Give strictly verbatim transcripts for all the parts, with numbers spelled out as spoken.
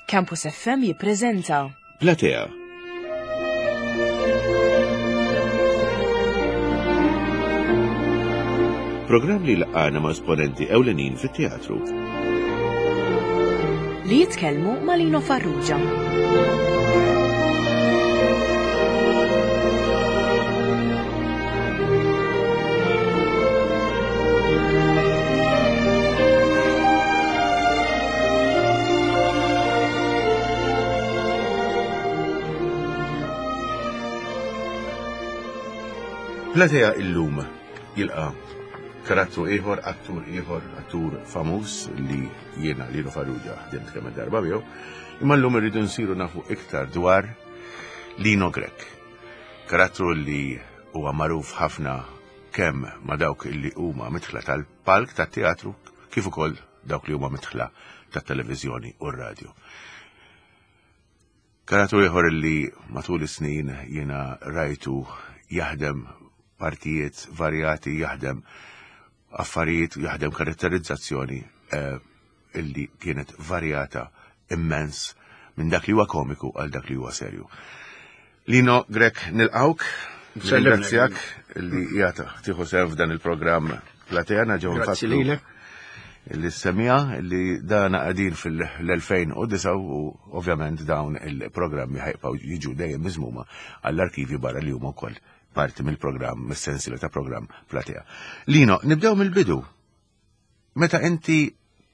Campus F M jippreżenta Platea. Programm li laqgħana ma' esponenti ewlenin fit-teatru. Li jitkellmu ma' Lino Farrugia. Platea illum jilqa' karattru ieħor, attur ieħor, attur famuż li jiena Lino Farrugia ħdimt kemm darba miegħu, imma llum irridu nsiru nafu iktar dwar Lino Grech. Karattru li huwa magħruf ħafna kemm ma' dawk li huma mitħla tal-palk tat-teatru kif ukoll dawk li huma mitħla tat-televiżjoni u r-radju. Karattru ieħor li matul is-snin jiena rajtu jaħdem partijiet varjati, jaħdem affarijiet, jaħdem karatterizzazzjoni, eh, illi kienet varjata immens minn dak li huwa komiku għal dak li huwa serju. Lino Grech, nilqawk, nirringrazzjak li jgħata tieħu sehem f'dan il-programm Platea. Ġew Grazzi nfakkru lilek. li semija li dana qegħdin fil-elfejn u disa' u ovvjament dawn il-programmi ħajbqgħu jiġu dejjem miżmuma għall-arkivi barra li huma wkoll parti mill-programm, mis-sensiela ta' programm Platea. Lino, nibdew mill-bidu. Meta inti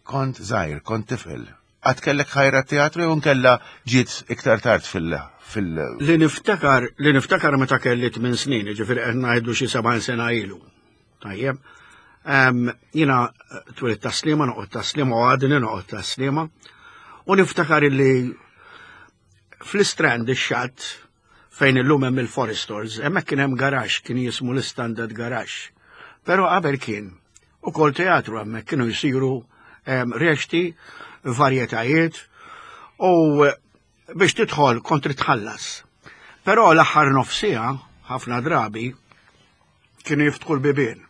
kont żgħir, kont tifel, għad kellek ħajra teatru jew nkella ġiet iktar tard fil-, fil- Li niftakar, li niftakar meta kelli tmien snin, jiġifieri qed ngħidu xi sebgħin sena ilu. Tajjeb. Em, jiena twilit Tas-Sliema, noqgħod Tas-Sliema u għadni noqgħod Tas-Sliema. U niftakar illi fl-Istrand ix-xatt fejn illum hemm il-Foresters, hemmhekk kien hemm garaxx kien jismu l-Standard Garage. Però qabel kien ukoll teatru hemmhekk kienu jsiru, em, reċti, varjetajiet u biex tidħol kont trid tħallas. Però l-aħħar nofsija, ħafna drabi, kienu jiftħu l-bibien.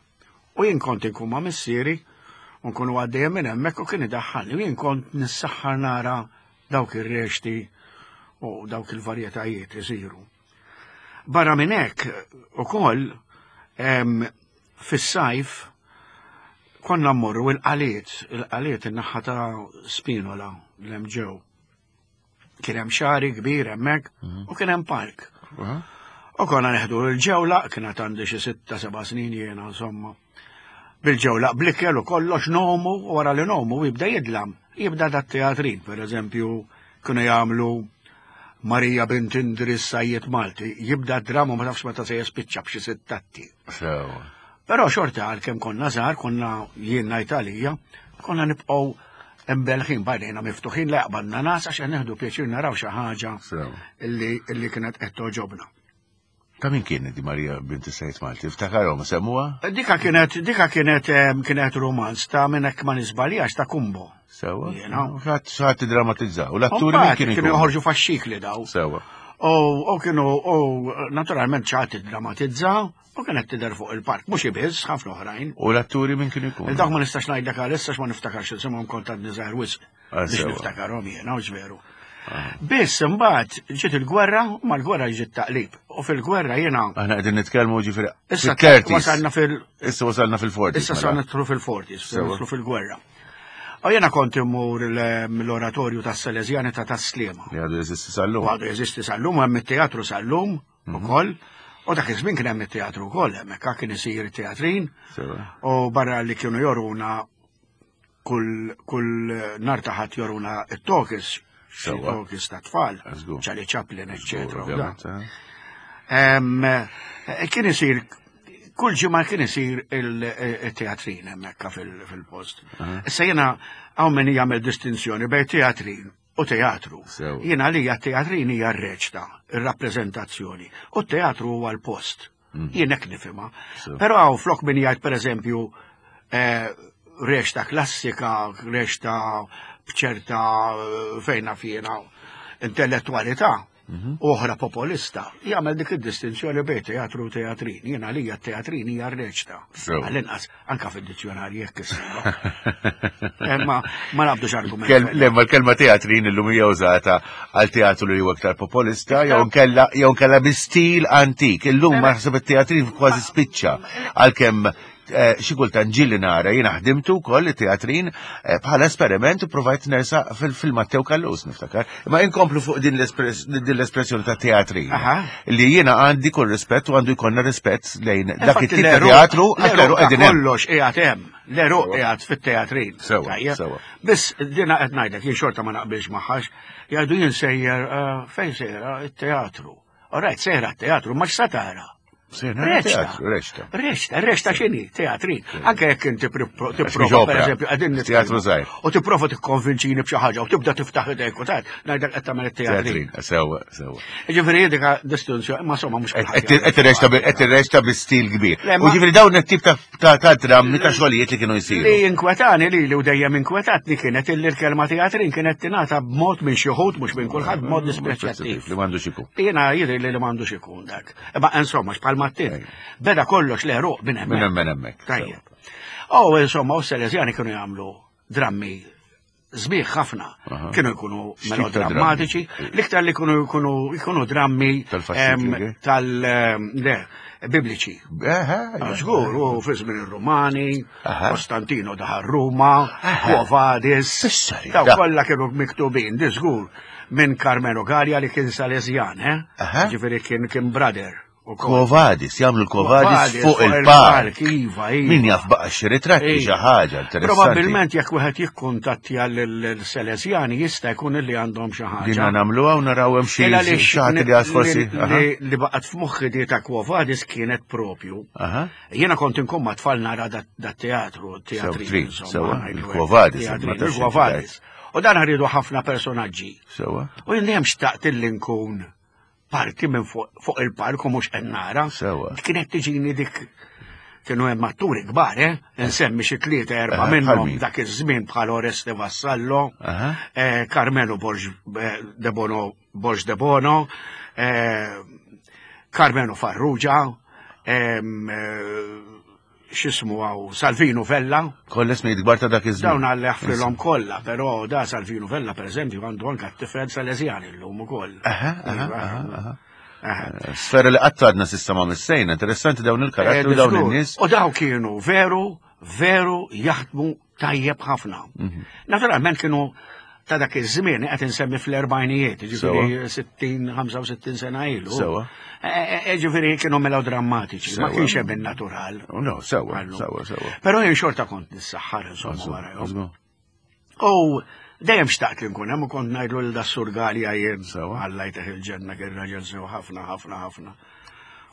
U jien kont inkun ma' missieri, u nkunu għaddejjem minn hemmhekk u kien idaħħalni, u jien kont nissaħħar nara dawk ir-reċti u dawk il-varjetajiet isiru. Barra minn hekk ukoll, em, fis-sajf konna mmorru il-qaliet, il-qaliet in-naħa ta' Spinola l-hemm ġew. Kien hemm xari kbir hemmhekk Mhm. u kien hemm park. Aha. U konna neħdu l-ġewlaq, kienet għandi xi sitta seba' snin jiena insomma. Bil-ġewlaq blikel u kollox nomu, u wara li nomu jibda jidlam. Jibda dat teatrin, per eżempju, kienu jagħmlu Marija bint Indris Sajjied Malti, jibda d-drama ma tafx meta se jispiċċa b'xi sittatti. Sewa. Però xorta għalkemm konna żgħar, konna jien ngħid għalija, konna nibqgħu imbelħin bajnejna miftuħin li qbadna nas għax nieħdu pjaċir naraw xi ħaġa Sewa. illi, illi kienet qed toġobna. Ta' min kien di Marija bint Sajjied Malti? Ftakarhom semmuha? Dika kienet, dika kienet, em, kienet romanz ta' minn hekk ma niżbaljax ta' Kumbo. Sewa. Jiena. Ħadd xi drammatizzaw. U l-atturi Mbagħad min kienu kienu jkunu? joħorġu faxxikli daw. Sewa. U, u kienu, u naturalment xi ħadd iddramatizzaw u kienet tidher fuq il-park, mhux ibiss, ħafna oħrajn. U l-atturi min kienu jkunu? Dawk ma nistax ngħidlek għalissa ma niftakarx isimhom kont għadni żgħir wisq Ah, biex sewa. niftakarhom jiena, u veru. Ah. Biss imbagħad ġiet il-gwerra u mal-gwerra ġiet taqlib. U fil-gwerra jiena Aħna qegħdin nitkellmu ġifieri Issa fil-thirties. wasalna fil- Issa wasalna fil-forties, Issa mela. sa nidħlu fil-forties, Sewa. nidħlu fil-gwerra. U jiena kont immur l-, l-oratorju tas-Salesjani ta' Tas-Sliema. Li għadu jeżisti sal-lum. U għadu jeżisti sal-lum, hemm it-teatru sal-lum Mhm. ukoll. U dak iż-żmien kien hemm it-teatru wkoll, hemmhekk kien isir it-teatrin. Sewa. U barra li kienu joruna kull, kull nar ta' ħadd joruna it-tokis, xi Sewa. tokis ta' tfal, Żgur. Charlie Chaplin, eccetera, u Żgur, dan. ovvjament, eh. Em, eh, kien isir, kull ġimgħa kien isir il-, il-teatrin hemmhekk fil-, fil-post. Aha. Issa jiena hawn min jagħmel distinzjoni bejn teatrin u teatru. Sewa. Jiena għalija teatrin hija r-reċta, ir-rappreżentazzjoni, u t-teatru huwa l-post. Mm. Jien hekk nifhimha. Sewa. Però hawn flok min jgħid pereżempju, eh, reċta klassika, reċta b'ċerta, eh, fejna fjena intellettualità. u oħra popolista, jagħmel dik id-distinzjoni bejn teatru u teatrin. Jien għalija teatrin hija reċta. Għall-inqas anka fid-dizzjonarji jekk issibha. Eh, ma ma nabdux argument. Le, ma l-kelma teatrin illum hija użata għal teatru li huwa aktar popolista jew nkella jew nkella bi stil antik. Illum ma naħseb it-teatrin kważi spiċċa għalkemm eh, xi kultant ġieli nara jiena ħdimtu wkoll it-teatrin eh, bħala esperiment u provajt nersa fil-Matteo Callus niftakar. Imma inkomplu fuq din l-espressjoni ta' teatrin. Li jiena għandi kull rispett u għandu jkollna rispett lejn dak it-tip ta' teatru għax l-għeruq qegħdin hemm. Kollox qiegħed hemm, l-għeruq qiegħed fit-teatrin. Sewa, sewa. Biss dina qed ngħidlek jien xorta ma naqbilx magħhax, jgħidu jien sejjer eh, fejn sejra it-teatru. Alright, sejra t-teatru, ma x'sa tara? Reċta. Reċta. Reċta, reċta x'inhi, teatrin. Anke jekk inti tipprova pereżempju qegħdin Teatru żgħir. U tipprova tikkonvinċini b'xi ħaġa u tibda tiftaħ idejk u tgħid ngħidlek qed tagħmel it-teatrin. Sewwa, sewwa. Ġifieri dik distinzjoni, ma somma mhux Qed irreċta bi stil kbir. U ġifieri dawn it-tip ta' drammi ta' xogħlijiet li kienu jsiru. Li inkwetani li li u dejjem inkwetatni kienet illi l-kelma teatrin kienet tingħata b'mod minn xi wħud mhux minn kulħadd b'mod dispreċjattiv. Li m'għandux ikun. Jiena jidher li li m'għandux ikun dak. Imma insomma x'bħal Mattin. Beda kollox l-għeruq minn hemmhekk. Minn hemmhekk. Tajjeb. Oh, insomma, u Salesjani kienu jagħmlu drammi sbieħ ħafna. Kienu jkunu melodrammatiċi, l-iktar li kienu jkunu jkunu drammi tal le bibliċi. Żgur, u fi żmien ir-Rumani, Kostantino daħal Ruma, Quo Vadis. Daw kollha kienu miktubin, di żgur, minn Carmelo Gallia li kien Salesjan, eh? Ġifieri kien kien brother. Quo Vadis, jagħmlu l-Quo Vadis fuq il-park. Iva, iva. Min jaf baqa' xi ritratti xi ħaġa interessanti. Probabbilment jekk wieħed jikkuntattja l-Salesjani jista' jkun li għandhom xi ħaġa. Dinna nagħmluha u naraw hemm xi ħadd li għad forsi. Li baqgħet f'moħħi di ta' Quo Vadis kienet propju. Jiena kont inkun ma' tfal nara dat teatru, teatri. Sewa, il-Quo Vadis. Il-Quo Vadis. U dan ħaridu ħafna personaġġi. Sewa. U jien dejjem xtaqt illi nkun parti minn fuq il-park u mhux qed nara. Kienet tiġini dik kienu hemm atturi kbar, eh? Nsemmi xi tlieta erba' minnhom dak iż-żmien bħal Oreste Vassallo, Carmelo Borg de Bono, Borg de Bono, Carmelo Farrugia, x'ismu għaw Salvino Vella. Kollha ismijiet kbar ta' dak iż-żmien. Dawn għalli ħfrilhom kollha, però da Salvino Vella pereżempju għandu anke t-tifel Salesjani llum ukoll. Sfera li qatt għadna s'issa ma missejna, interessanti dawn il-karattri dawn in-nies. U daw kienu veru, veru jaħdmu tajjeb ħafna. Naturalment kienu ta' dak iż-żmien qed insemmi fl-erbgħinijiet, ġifieri sittin, ħamsa u sittin sena ilu. Sewa. Ġifieri kienu melodrammatiċi, ma kienx hemm in-natural. No, sewa, sewa, sewa. Però jien xorta kont nissaħħar insomma warajhom. U dejjem xtaqt li nkun hemm u kont ngħidlu lil das-Sur Gallia jien. Alla jteħ il-ġenna kien raġel sew ħafna, ħafna, ħafna.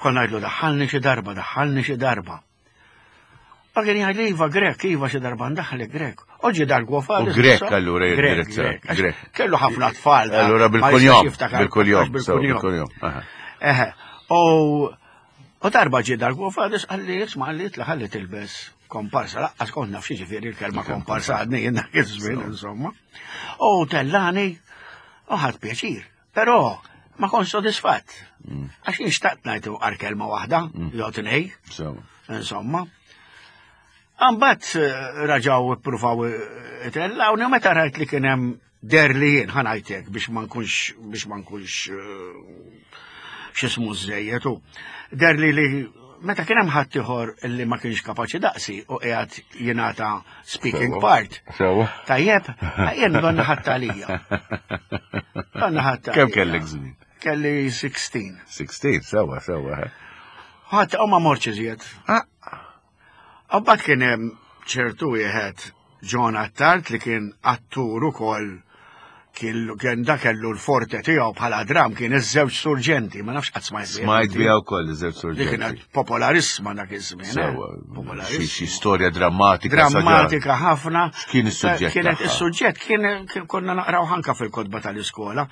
Kont ngħidlu daħħalni xi darba, daħħalni xi darba. Ma kien jgħid iva Grek, iva xi darba ndaħlek Grek. Oġi dar Quo Vadis. U Grek allura jindirizza. Grek. Kellu ħafna tfal. Allura bil-kunjom, bil-kunjom, bil-kunjom. Eħe. U darba ġie dar Quo Vadis qalli isma' qalli itla' ħalli tilbes komparsa, laqqas kont naf xi ġifieri l-kelma komparsa għadni jien dak iż-żmien insomma. U tellani u ħadd pjaċir. Però ma kontx sodisfatt. Għax jien xtaqt ngħid għar kelma waħda, jew tnej. Insomma. Mbagħad raġaw ippruvaw itellawni u meta rajt li kien hemm der li jien ħa ngħidlek biex ma nkunx biex ma nkunx x'ismu żejjed u der li li meta kien hemm ħadd ieħor li ma kienx kapaċi daqsi u qiegħed jingħata speaking part. Tajjeb, jien donna ħadd għalija. Donna ħadd. Kemm kellek żmien? Kelli sixteen. Sixteen, sewa, sewa. Ħadd u ma mortx iżjed. Mbagħad kien hemm ċertu wieħed John Attard li kien attur ukoll kien da kellu l-forte tiegħu bħala dram kien iż-żewġ surġenti, ma nafx qatt smajt biha. Smajt biha wkoll iż-żewġ surġenti. Li kienet popolarissima dak iż-żmien. Sewa, xi storja drammatika. Drammatika ħafna. X'kien is-suġġett? Kienet is-suġġett kien konna naqraw ħanka fil-kotba tal-iskola.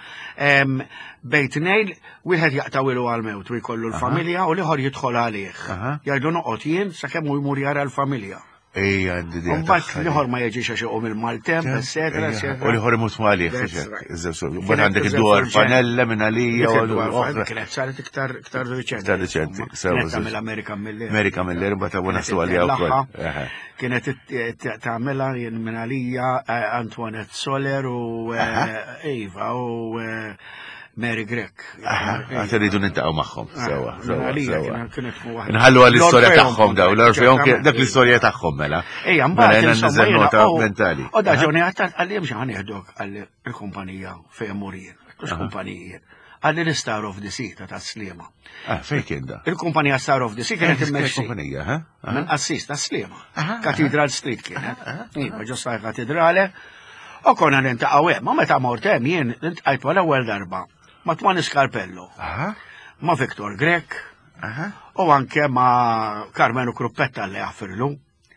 Bejn tnejn wieħed jaqtawilu għall-mewt u jkollu l-familja u l-ieħor jidħol għalih. Jgħidu noqgħod jien sakemm hu jmur jara l-familja. Ejja, għandi idea Mbagħad tagħha. l-ieħor ma jiġix għax iqum il-maltemp, eccetera, eccetera. U l-ieħor imut għalih. That's right. Mbagħad għandek id-dwar Fanella minn għalija u l-oħra. Kienet saret iktar iktar riċenti. Iktar riċenti, sewa, Kienet sewa. tagħmel American Miller. American Miller, mbagħad għu naslu għalija wkoll. Eħe. Kienet tagħmilha jien minn għalija eh, Antoinette Soler u eh, Eva u eh, Mary Grech. Għad irridu niltaqgħu magħhom, sewa, Minn sewa, għalija sewa. kienet- kienet tkun waħda. Nħallu għall-istorja L-Orfeon tagħhom daw, l-Orfeon kien- dak l-istorja tagħhom mela. Ejja, Mela mbagħad jiena insomma nniżel jiena, nota oh, mentali. U da Johnny Attard qalli mhux ħa nieħdok qalli il-kumpanija fejn mur jien. Mhux kumpanija. Qalli l-Star of the Sea ta' Tas-Sliema. Ah, fejn kien da? Il-kumpanija Star of the Sea kienet immexxi Kumpanija, ha? minn qassis Tas-Sliema. Cathedral Street kienet. Iva, ġo katedrale. U konna niltaqgħu hemm, ma meta mort hemm jien iltqajt wara ewwel darba ma' Twan Scarpello, Aha, ma' Victor Grech aha, u anke ma' Carmenu Kruppetta li jaffirlu.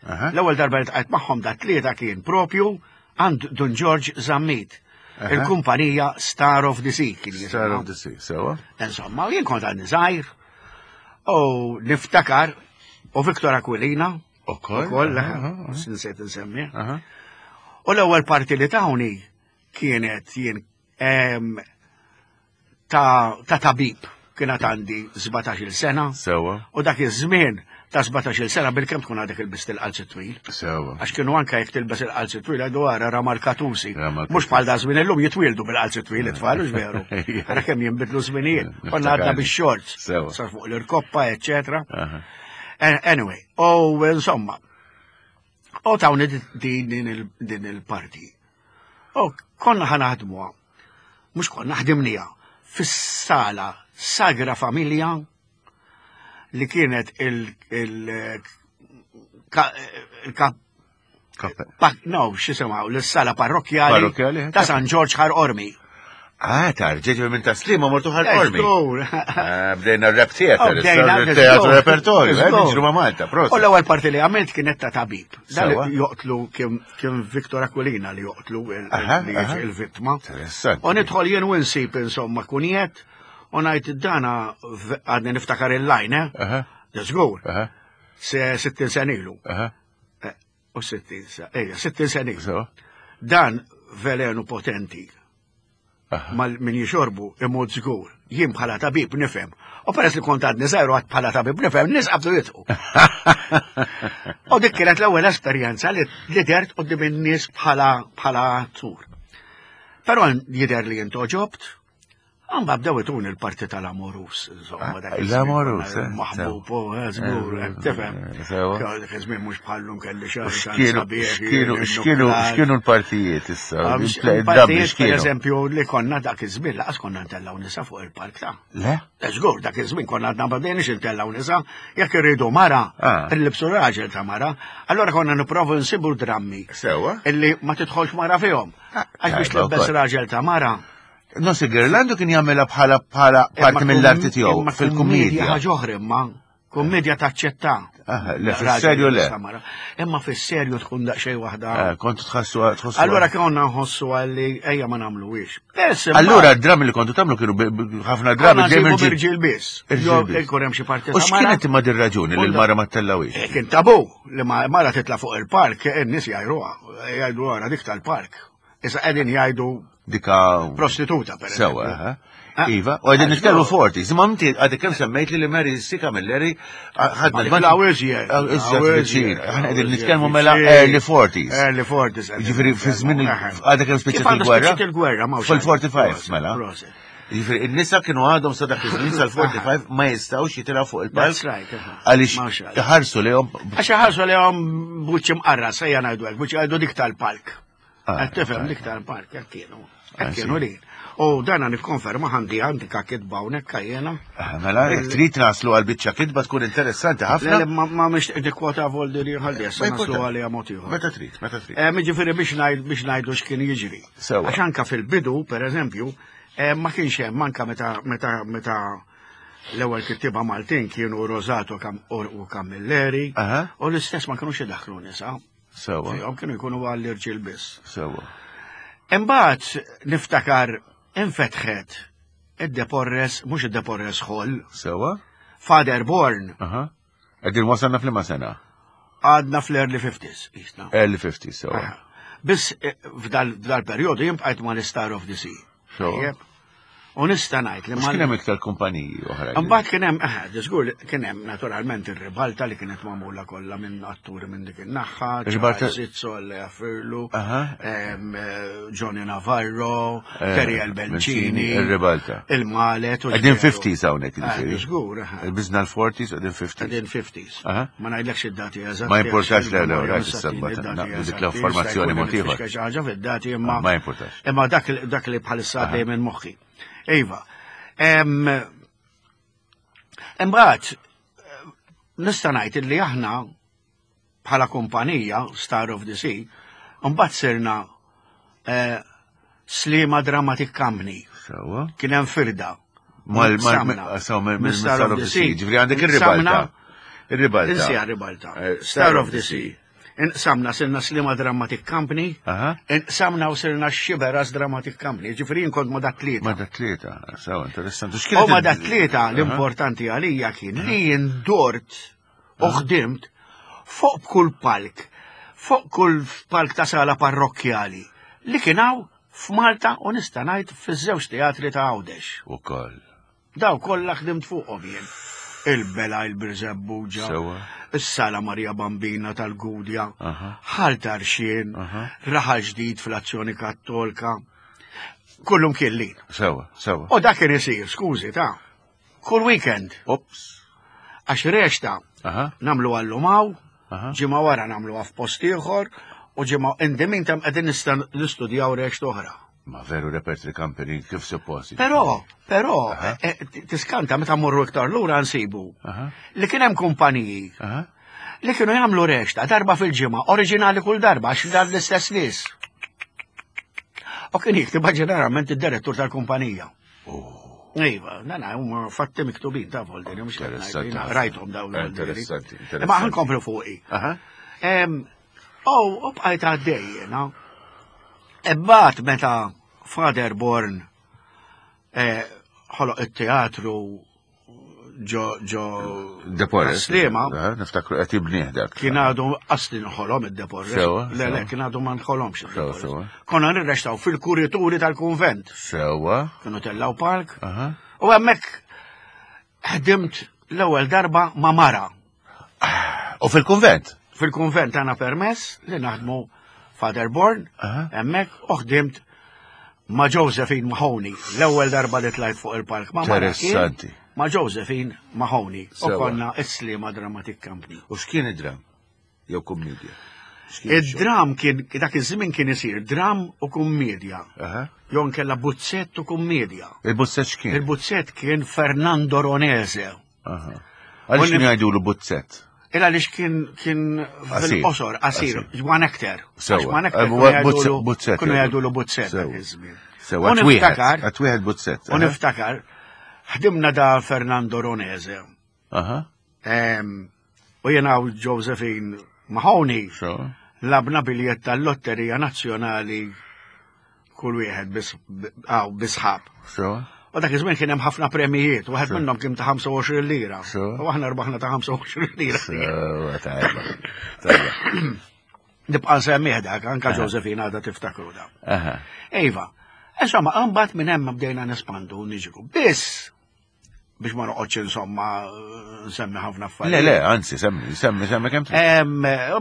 aha. L-ewwel darba li ltqajt magħhom da tlieta kien propju għand Dun George Zammit. Aha. Il-kumpanija Star of the Sea kien Star jisimha. of the Sea, sewa. Insomma, jien kont għadni żgħir u niftakar u Victor Aquilina Ukoll. ukoll, aha, aha, nsejt nsemmi. aha. U l-ewwel parti li tawni kienet jien em, ta' ta' tabib kienet għandi sbatax-il sena Sewa, u dak iż-żmien ta' sbatax-il sena bil-kemm tkun għadek ilbist il-qalzi twil. sewa. Għax kienu anka jekk tilbes il-qalzi twil għadu għara ramal katusi. Ramal Mhux bħal da żmien illum jitwieldu bil-qalzi twil it-tfal, hux veru. Ara kemm jinbidlu żminijiet. Konna għadna bix-shorts. Sewa. Sar fuq l-irkoppa, eccetera. Aha. Anyway, u insomma, u tawni din din il- din il-parti. U konna ħa naħdmuha, mhux konna ħdimnija, fis-sala Sagra Familja li kienet il- il- ka- il-kap Kappe. pa- no, x'jisimha, l-sala parrokkjali Parrokkjali, ta' San Ġorġ Ħar Qormi. Ah, tarġeġ minn Tas-Sliema mortu Ħal Qormi. Żgur. Ah, bdejna r-rep theater, Oh, bdejna, teatru żgur. repertorju, eh, Żgur. niġru ma' Malta, U prosit. l-ewwel parti li għamilt kienet ta' tabib. Dan Sewa. li joqtlu kien kien Victor Aquilina li joqtlu il- Aha, li aha. il-vittma. Interessanti. U nidħol jien u nsib insomma kunjet u ngħid dana v- għadni niftakar il-line, eh? Aha, Żgur. aha, Se sittin sen ilu. aha, Eh, U sittin sa, ejja, sittin sen ilu. sewa. Dan velenu potenti. Aha. Mal min jixorbu imut żgur. Jien bħala tabib nifhem. U peress li kont għadni żgħir u għad bħala tabib nifhem, nies qabdu jidħku. U dik kienet l-ewwel esperjenza li li dert quddiem in-nies bħala bħala attur. Però jidher li intgħoġobt, għamba bdew ituni l-parti tal-amorus, insomma. dak iż-żmien L-amorus, konna eh, Maħbub, u eh, żgur, eh, tifhem. Sewa. Dak iż-żmien mhux bħallum kelli xahar X'kienu, x'kienu, x'kienu, x'kienu l-partijiet issa? Il-play- Partijiet, dabbi per x'kienu? eżempju, li konna dak iż-żmien laqas konna ntellgħu nisa fuq il-palk ta' Le? Żgur, dak iż-żmien konna għadna ma bdejniex intellgħu nisa, jekk irridu mara, Ah. nlibsu raġel ta' mara, allora konna nipprovu nsibu drammi Sewa. illi ma tidħolx mara fihom. Għax biex tajba tlibbes wkoll. raġel ta' mara. Nossi Gerlando kien jagħmilha bħala bħala parti mill-arti tiegħu Imma fil-kummedja. ħaġa oħra imma, kummedja taċċetta. Ah, le, Raġel fis-serju le. ta' mara. Imma fis-serju tkun daqsxejn waħda. Eh, Kontu tħassu tħossu. Allora konna nħossu għalli ejja ma nagħmluhiex. Bess, imma- Allura d-drammi li kontu tagħmlu kienu bi- bi- ħafna drabi Konna dejjem nsibu irġiel. irġiel biss. Irġiel Jew biss. ikun hemm xi parti U ta' mara. x'kienet imma dir-raġuni li l-mara ma tellawix? Eh, Kien tabu li ma mara titla fuq il-park, in-nies jgħajruha, jgħidu wara dik tal-park. Issa qegħdin jgħidu Dika prostituta per Sewa, eżempju. eh? Ah. Iva, u għedin Ah, nitkellmu żgur. forti. Imma inti għadek kemm semmejt li li Mary C. Camilleri ħadna Ma dik law iżjed, Ah, Iżjed law viċin. iżjed, Aħna qegħdin law nitkellmu iżjed mela viċin. early forties. Early forties. qegħdin Ġifieri fi żmien il- nitkellmu. għadek kemm Kif spiċċat għandha il-gwerra? spiċċat il-gwerra, ma Fil-forty-five, Proset, mela. proset. Ġifieri in-nisa kienu għadhom sa dak iż-żmien sal-forty-five ma jistgħux jitilgħu fuq il-palk. That's right, aha. Għaliex Ma xejn. iħarsu lejhom Għax ħarsu li għom buċċi mqarra, sejja ngħidu hekk, buċċi għajdu dik tal-palk. Ah, Qed tifhem ah. dik tal-palk, hekk kienu. Ah, Hekk kienu sì. li. U dana nikkonferma għandi għandi kitba hawnhekk jiena. Ah, Mela, jekk trid naslu għal biċċa kitba tkun interessanti Le, ħafna. le, ma ma mhix nikkwota voldi li ħalli issa Ma naslu importa. għalija mod ieħor. Meta trid, meta trid. Eh, Jiġifieri biex ngħid biex ngħidu x'kien jiġri. Sewa. Għax anka fil-bidu, per eżempju, eh, ma kienx hemm anka meta meta meta l-ewwel kittieba Maltin kienu Rosato Cam- u Camilleri Aha. u l-istess ma kinux idaħħlu nisa. Sewa, Fihom kienu jkunu għall-irġiel biss. sewa. Imbagħad niftakar infetħet id-Deporres, mhux id-Deporres Hall, Sewa? Father Born, Aha. Qegħdin wasalna f'liema sena. Għadna fl-early fifties, jisna. Early fifties, so. Biss eh, f'dal periodu jien bqajt ma' Star of the Sea. So. Tajjeb? U nista' ngħid li Mhux kien hemm iktar kumpaniji oħra? Mbagħad kien hemm, eh, żgur li kien hemm naturalment ir-Ribalta li kienet magħmula kollha minn atturi minn dik in-naħa, Ribalta- Zizzo, Lea Firlu, Aha. em, eh, Johnny Navarro, Eh, Terry Bencini, Il-Ribalta. il-Malet. u Qegħdin ġveru. fifties hawnhekk, Eh, jiġifieri. Żgur, eh. Bizna l-forties, qegħdin fifties. Qegħdin fifties. Aha. Ma ngħidlekx id-dati eżatti. Ma importax, għax le, le, il-memorja rajt mhux is-sabba, id-dati naqbdu dik eżatti, l-informazzjoni jista' jkun mod ieħor. nifixka xi ħaġa fid-dati imma. Ma importax. Imma dak dak li bħalissa għaddej minn moħħi. Iva. Em, Imbagħad nista' ngħid li aħna bħala kumpanija Star of the Sea, mbagħad sirna eh, Sliema Dramatic Company. Sewwa. Kien hemm firda. Mal, mal, Samna. so, mill Minn Star of the Sea. Ġifieri għandek ir-Ribalta. Ir-Ribalta. Insija Ribalta. Eh, Star of the Sea. Inqsamna sirna Sliema Dramatic Company, Aha. inqsamna u sirna Xiberras Dramatic Company. Ġifieri jien kont ma' dat tlieta. Ma da tlieta, sewa, interessanti. U ma dat tlieta l-importanti għalija kien li jindort u ħdimt fuq kull palk, fuq kull palk ta' sala parrokkjali li kien hawn f'Malta u nista' ngħid fiż-żewġ teatri ta' Għawdex. U koll. Daw kollha ħdimt fuqhom jien. Il-Bela, il-Birżebbuġa, Sewwa. is-Sala Maria Bambina tal-Gudja, Aha. Ħal Tarxien, Aha. Raħal Ġdid fl-Azzjoni Kattolka, kullum killin. Sewwa, sewwa. U dak kien isir, skużi, ta' kull weekend, Ops. għax reċta Aha. nagħmlu għallumaw, Aha. ġimgħa wara nagħmlu f'post ieħor, u ġimgħa in the meantime qegħdin nista' nistudjaw reċta oħra. Ma veru repertory company kif suppost. Però, però, Aha. eh, tiskanta meta mmorru iktar lura nsibu Aha. li kien hemm kumpaniji Aha. li kienu jagħmlu reċta darba fil-ġimgħa, oriġinali kull darba għax dan l-istess nies. U kien jiktibha ġeneralment id-direttur tal-kumpanija. Iva, nana, huma fatti miktubin ta' Volderi, mhux qed ngħid, Interessanti jiena ħafna. rajthom dawn Volderi. Interessanti, interessanti. Imma ħa nkomplu fuqi. Aha. Em, U u bqajt għaddej jiena. Imbagħad meta Father Born eh, ħoloq it-teatru ġo ġo De Porres. Sliema, Aha, niftakru qed jibnieh dak. kien għadu qasli nħolom id-De Porres. Sewwa, Le, le, sewwa. kien għadu ma nħolomx id-De Sewwa, Porres. sewwa. Konna nirrextaw fil-kurituri tal-kunvent. Sewwa. Kienu tellaw palk. Aha. U hemmhekk ħdimt l-ewwel darba ma' mara. U fil-kunvent? Fil-kunvent għana permess li naħdmu Father Born, Aha. hemmhekk u ħdimt ma' Josephine Mahoney, l-ewwel darba li tlajt fuq il-palk ma' mara kien Interessanti. Ma' Josephine Mahoney. U Sewwa. konna is-Sliema Dramatic Company. U x'kien id-dram? Jew kummedja? X'kien ix-xogħol? Id-dram kien, dak iż-żmien kien isir dram u kummedja. Aha. Jew nkella buzzett u kummedja. Il-buzzett x'kien? Il-buzzett kien Fernando Ronese. Aha. Għaliex U kien jgħidulu buzzett? Illa għaliex kien kien Qasir. fil-qosor, qasir, one actor. Sewwa. Għax one actor Eh, kienu bu- jgħidulu- buzzett Kienu jgħidulu. jgħidulu buzzett dak Sewwa. iż-żmien. Sewwa, U għat wieħed, niftakar, għat wieħed buzzett. u niftakar, ħdimna da Fernando Ronese. Aha. Em, U jena u Josephine Mahoney So. lgħabna biljett tal-Lotterija Nazzjonali kull wieħed bis- għaw bisħab. So. U dak iż-żmien kien hemm ħafna premijiet, wieħed minnhom kien ta' ħamsa u għoxrin lira. Sure. U aħna rbaħna ta' ħamsa u għoxrin lira. Sewwa, tajba. Tajba. Nibqa' nsemmih dak, anka Josephine għadha tiftakru da. Aha. Iva, insomma, mbagħad minn hemm bdejna nespandu u niġru. Biss biex ma noqgħodx insomma nsemmi ħafna affarijiet. Le, le, anzi, semmi, semmi, semmi kemm trid. Em,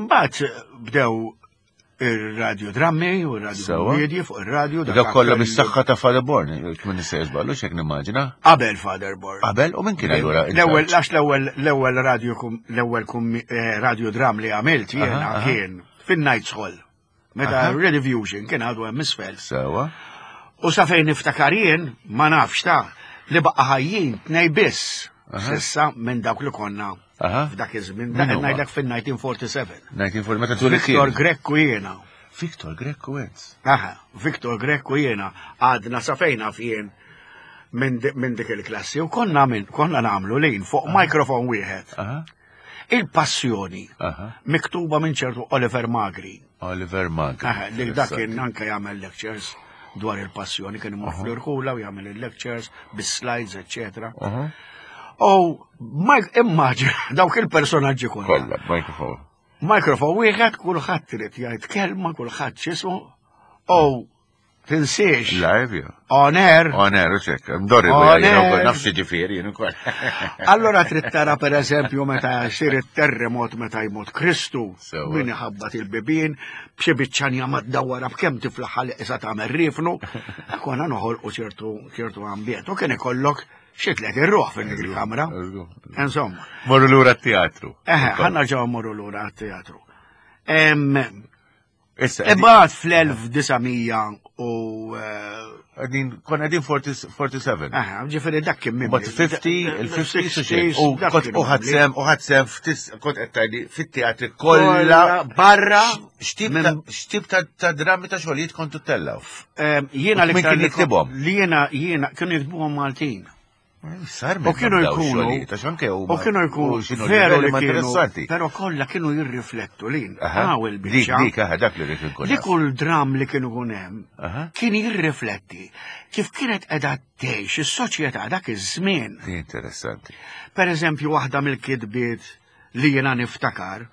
Mbagħad bdew ir-radio drammi u r-radio Sewwa. kommedji fuq ir-radio. dak Dak kollha aktar bis-saħħa ta' Father Born, kien nista' jiżballu x'hekk nimmaġina. Qabel Father Born. Qabel u min kien allura? in L-ewwel charge? għax l-ewwel l-ewwel radio kum- l-ewwel kummi- eh, radio dram li għamilt jiena Aha, aha. kien fin-Knights Hall. Meta Aha. Rediffusion kien għadu hemm isfel. Sewwa. U sa fejn niftakar jien, ma nafx ta' li baqa' ħajjin tnej biss. Aha. Sissa minn dawk li konna Aha. f'dak iż-żmien, Min dak huma? ngħidlek fin-elf disa' mija u erbgħa u erbgħin. elf disa' mija u erbgħa u erbgħin meta tuli Victor kien. Grech u jiena. Victor Grech u int. Aha, Victor Grech u jiena għadna sa fejn naf jien minn di- minn dik il-klassi u konna minn konna nagħmlu lin fuq mikrofon wieħed. Aha. Il-passjoni Aha. miktuba minn ċertu Oliver Magri. Oliver Magri. Aha, li dak kien anke jagħmel lectures dwar il-passjoni, kien imur fl-irħula u jagħmel il-lectures bis-slides, eccetera. Aha. U Mike, immaġina dawk il-personaġġi kollha. Kollha, microphone. Mikrofon wieħed, kulħadd irid jgħid kelma, kulħadd x'ismu. U tinsiex. Live, ja. On air. On air, u ċek. Mdorri, On air. nafsi ġifieri, jien ukoll. Allora trid tara per eżempju meta jsir it-terremot meta jmut Kristu, Sewa. min iħabbat il-bibien, b'xi biċċanja maddawara b'kemm tiflaħ li qisha tagħmel rifnu, konna noħolqu ċertu ċertu ambjent. U kien ikollok xi tliet irruħ fil-kamra. Insomma. Morru lura t-teatru. Eħe, ħanna ġew morru lura għat-teatru. Em, Issa, Imbagħad fl-elf disa' mija u, eh, għedin, konna għedin forty-seven. Aha, ġifieri dak kien mimli. But fifty, il-fifty, sixties, u dak kont kien u mimli. ħadsem, u ħadsem, ftis, kont qed tgħidli fit-teatri kollha barra. X'tip ta' x'tip ta' ta' drammi ta' xogħlijiet kontu tellaw? Em, jiena U min l-iktar kien li jiktibhom? Li jiena, jiena, kienu jiktbuhom Maltin. Sar U kienu jkunu, u kienu jkunu veru li ma kienu, interessanti. pero kollha kienu jirriflettu lin. Aha, Hawn il-biċċa. Dik, dik, aha, dak li rrid inkun Li naf. kull dram li kienu kun hemm Aha. kien jirrifletti kif kienet qiegħda tgħix is-soċjetà dak iż-żmien. Di interessanti. Per eżempju, waħda mill-kitbiet li jiena niftakar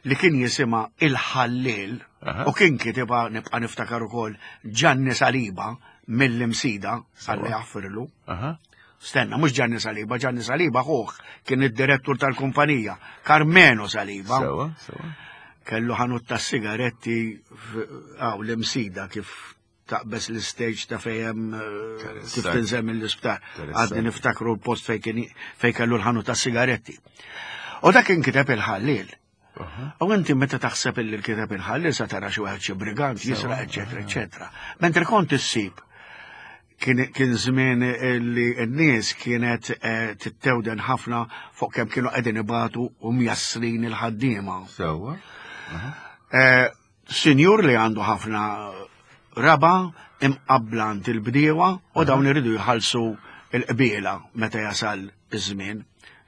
li kien jisimha Il-Ħallil Aha. u kien kitibha nibqa' niftakar ukoll Gianni Saliba mill-Imsida, għalli jaħfirlu. Aha. Stenna, mhux Gianni Saliba, Gianni Saliba ħuh kien id-direttur tal-kumpanija, Carmeno Saliba. Sewa, sewa. Kellu ħanut ta' sigaretti għaw l-Imsida kif taqbes l-stage ta' fejem, eh, kif Interessanti. tinżel mill-isptar. Interessanti. Għadni niftakru l-post fej kien fej kellu l-ħanut ta' sigaretti. U dak kien kiteb il-ħallil. Aha. U inti meta taħseb illi l-kiteb il-ħallil sa tara xi wieħed xi brigant jisraq, eċetera, eċetera. Mentre kont issib kien, kien żmien li n-nies kienet, eh, tittewden ħafna fuq kemm kienu qegħdin ibatu u mjassrin il-ħaddiema. Sewa. Eh, Sinjur li għandu ħafna raba imqabblant il-bdiewa u dawn iridu jħallsu il-qbiela meta jasal iż-żmien,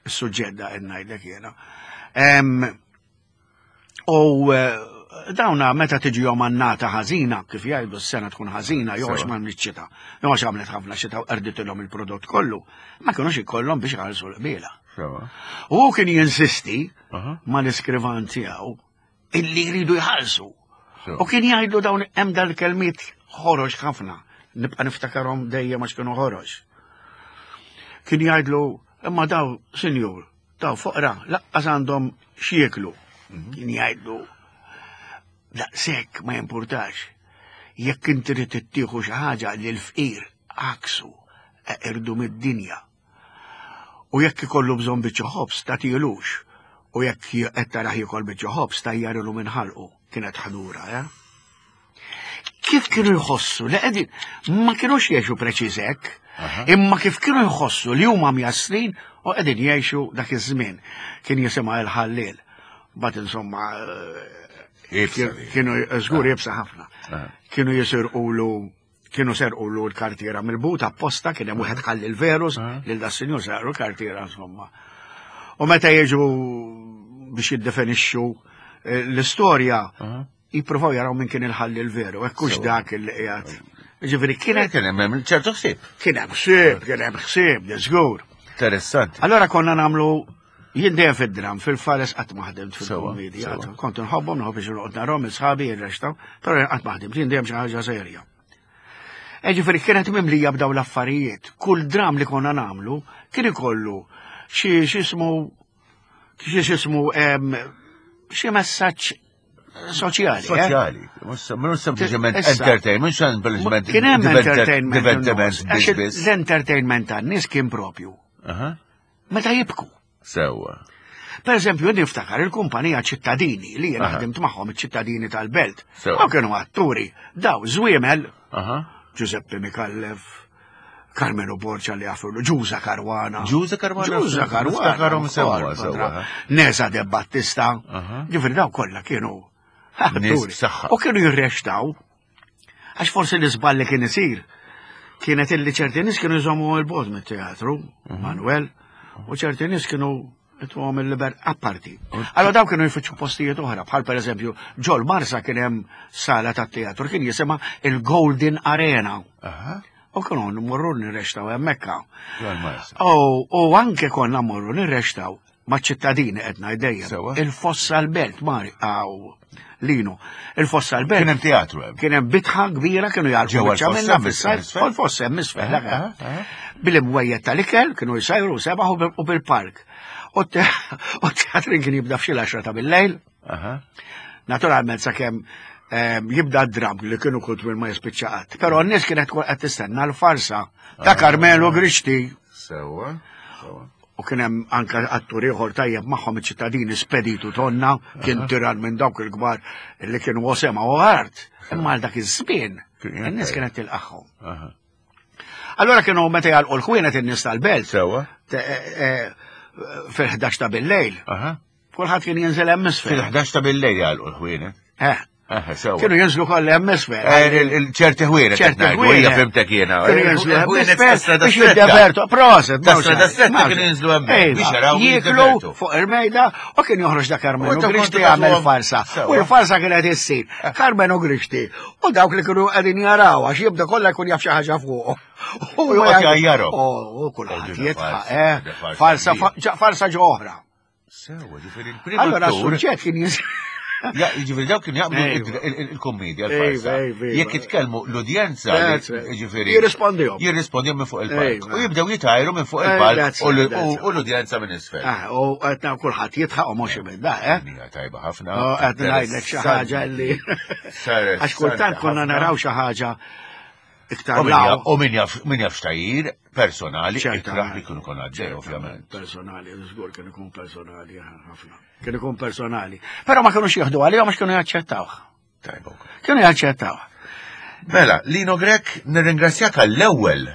is-suġġett da qed ngħidlek jiena. Em, U, eh, dawna meta tiġi jom annata ħażina, kif jgħidu s-sena tkun ħażina, jew għax Sewa. ma għamlet xita, jew għax għamlet ħafna xita u qerditilhom il-prodott kollu, ma kinux ikollhom biex jħallsu l-qbiela. Sewa. U hu kien jinsisti Aha. mal-iskrivan tiegħu illi jridu jħallsu. Sewa. U kien jgħidu dawn hemm dal-kelmiet ħorox ħafna, nibqa' niftakarhom dejjem għax kienu ħorox. Kien jgħidlu, imma daw, sinjur, daw foqra, laqqas għandhom x'jieklu. Kien jgħidlu, daqshekk ma jimpurtax. Jekk inti trid ittieħu xi ħaġa lil fqir aksu irdu mid-dinja. U jekk ikollu bżonn biċċa ħobż tagħtilux. U jekk qed tarah jiekol biċċa ħobż tajjarilu minn ħalqu. Kienet ħadura, eh? Kif kienu jħossu li qegħdin ma kinux jgħixu preċiż hekk, Aha. imma kif kienu jħossu li huma mjassrin u qegħdin jgħixu dak iż-żmien. Kien jisimha il-ħallil. Bat insomma, eh, Ibsa kien- li. kienu żgur jibsa ħafna. Aha. Kienu jisirqulu, kienu serqulu l-kartiera mill-but apposta, kien hemm wieħed ħalli l-verus, Aha. lil da sinjur serqu l-kartiera insomma. U meta jiġu biex jiddefinixxu, eh, l-istorja, Aha. jippruvaw jaraw minn kien il-ħalli l-veru, hekk hux Sewa. dak il qiegħed. Ġifieri kienet Kien hemm ċertu ħsieb. kien hemm ħsieb, kien hemm ħsieb, żgur. Interessanti. Allora konna nagħmlu jien dejjem fid-dram, fil-fares qatt ma ħdimt Sewa, fil-komedja, sewa. kont nħobbhom, nħobb biex noqgħod narahom sħabi jirrextaw, però jien qatt ma ħdimt, jien dejjem xi ħaġa serja. E ġifieri kienet mimlija b'daw l-affarijiet. Kull dram li konna nagħmlu kien ikollu xi x'ismu xi x'ismu em, xi messaġġ soċjali. eh? Soċjali. Mhux mhux sempliċement Issa. entertainment, mhux sempliċement Kien hemm diverter- entertainment. divertiment in-nies, għax biss biss. L-entertainment tan-nies kien propju. Aha. Meta jibku. Sewa. Per eżempju, jien niftakar il-kumpanija ċittadini li jien Aha. ħdimt magħhom iċ-ċittadini tal-belt. Sewa. U kienu atturi, daw żwiemel, Aha. Giuseppe Micallef, Carmelo Borgia li għafurlu, Ġuża Caruana. Ġuża Caruana? Ġuża Caruana. Niftakarhom sewa, ukoll, sewa. kontra. Nesa De Battista. Aha. Ġifieri daw kollha kienu Nies atturi. b'saħħa. U kienu jirrextaw. Għax forsi l-iżball li kien isir kienet illi ċerti nies kienu jżommu l-bogħod mit-teatru, Mhm. Manuel, u ċerti nies kienu jtuhom il-liber apparti. Allora daw kienu jfittxu postijiet oħra, bħal per eżempju, ġol Marsa kien hemm sala tat-teatru, kien jisimha il-Golden Arena. Aha. U kienu nmorru nirrextaw hemmhekk. Ġol Marsa. U, u anke konna mmorru nirrextaw Maċ-ċittadini qed ngħid dejjem. Sewa. Il-fossa l-belt mari għaw Lino. Il-fossa l-belt. Kien hemm teatru hemm. Kien hemm bitħa kbira kienu jgħalqu Ġewwa biċċa l-fossa minnha hemm fis-sajf, isfel? u l-fossa hemm isfel. Aha, dak. aha, aha. Bil-imwejjed tal-ikel kienu jsajru sebaħ u bil- u bil-park. U te- u t-teatrin kien jibda f'xi l-għaxra ta' bil-lejl. Aha. Naturalment sakemm ehm, jibda d-dram li kienu kull minn ma jispiċċa qatt. Però n-nies kienet tkun qed tistenna l-farsa ta' Carmelo Grixti. Sewa. Sewa. U kien hemm anke attur ieħor tajjeb magħhom iċ-ċittadini Speditu Tonna, kien tiran minn dawk il-kbar li kienu osema u art. Imma għal dak iż-żmien Kien in-nies tajjeb. kienet tilqaħħom. Aha. Allora kienu meta jgħalqu l-ħwienet in-nies tal-belt Sewa. te- eh, eh, fil-ħdax ta' bil-lejl. Aha. Kulħadd kien jinżel hemm isfel. Fil-ħdax ta' bil-lejl jgħalqu l-ħwienet. Eh, Aha, sewa. Kienu jinżlu kollha hemm isfel. Eh, il- il- ċerti ħwienet. ċerti qed ngħidu, ħwienet. Hija fimtek jiena. Kienu jinżlu hemm Il-ħwienet isfel ta' strada biex stretta. jiddevertu. Proset, Ta' strada stretta kienu jinżlu hemmhekk biex jaraw Jieklu jiddevertu. fuq il-mejda u kien joħroġ da U Carmelo intom Grixti kontu jagħmel tagħtuhom- farsa. Sewa. U l-farsa kienet issir. Carmelo Grixti. U dawk li kienu qegħdin jaraw għax jibda kollha jkun jaf xi ħaġa fuq. U joqgħod jgħajjarhom. U kulħadd Oh, dina jitħaq, farsa, eh. dina farsa Farsa kbira. ġa- farsa ġo oħra. Sewa, ġifieri il-prim Allora attur- s-suġġett kien jis. Ja, ġifieri dawk kienu jaqblu Ejwa. il- il- il-kommedja, Ejwa, l-farsa. ejwa, ejwa. Jekk jitkellmu l-udjenza, That's right. ġifieri. Jirrispondihom. Jirrispondihom minn fuq il-palk. Ejwa. U jibdew jitajru minn fuq Eh, il-palk that's u l- right, that's u u l-udjenza minn isfel. Ah, U qed kulħadd jitħaq u mhux ibda, eh. Hija tajba ħafna. Oh, qed ngħidlek xi ħaġa li. Saret Għax kultant konna ħafna. naraw xi ħaġa iktar U min jaf- law. U min jaf min jaf xtajir personali, Ċertament. ikraħ li kienu kon għaddej, ovvjament. Personali, żgur kien ikun personali ħafna. Kien ikun personali. Però ma kinux jieħdu għalihom għax kienu jaċċettawh. Tajba wkoll. Kienu jaċċettawh. Mela, Lino Grech, nirringrazzjak għall-ewwel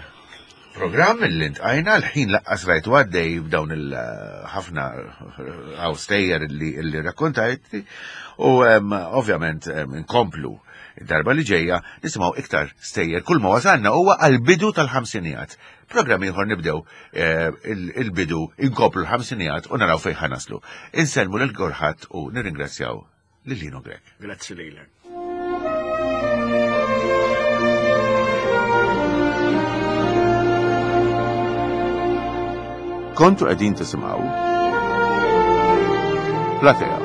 programm li ntqajna l-ħin laqqas rajtu għaddej b'dawn il-ħafna għaw stejjer li, li rakkontajt u em, ovvjament em, nkomplu id-darba li ġejja nisimgħu iktar stejjer kull ma wasalna huwa għall-bidu tal-ħamsinijat. Programm ieħor nibdew eh, il- il-bidu inkomplu l-ħamsinijat u naraw fejn ħanaslu. Insellmu lil kulħadd u nirringrazzjaw lil Lino Grech. Grazzi lilek. Kontu qegħdin tisimgħu Platea.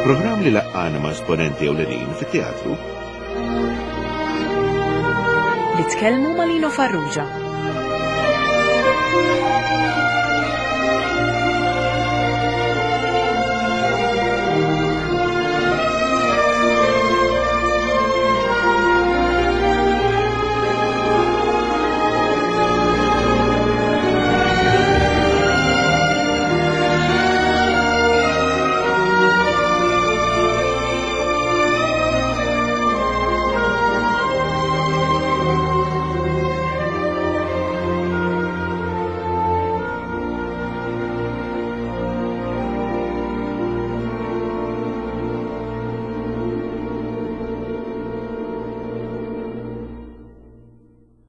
Programm li laqqana ma' esponenti ewlenin fit-teatru Li tkellmu ma' Lino Farrugia.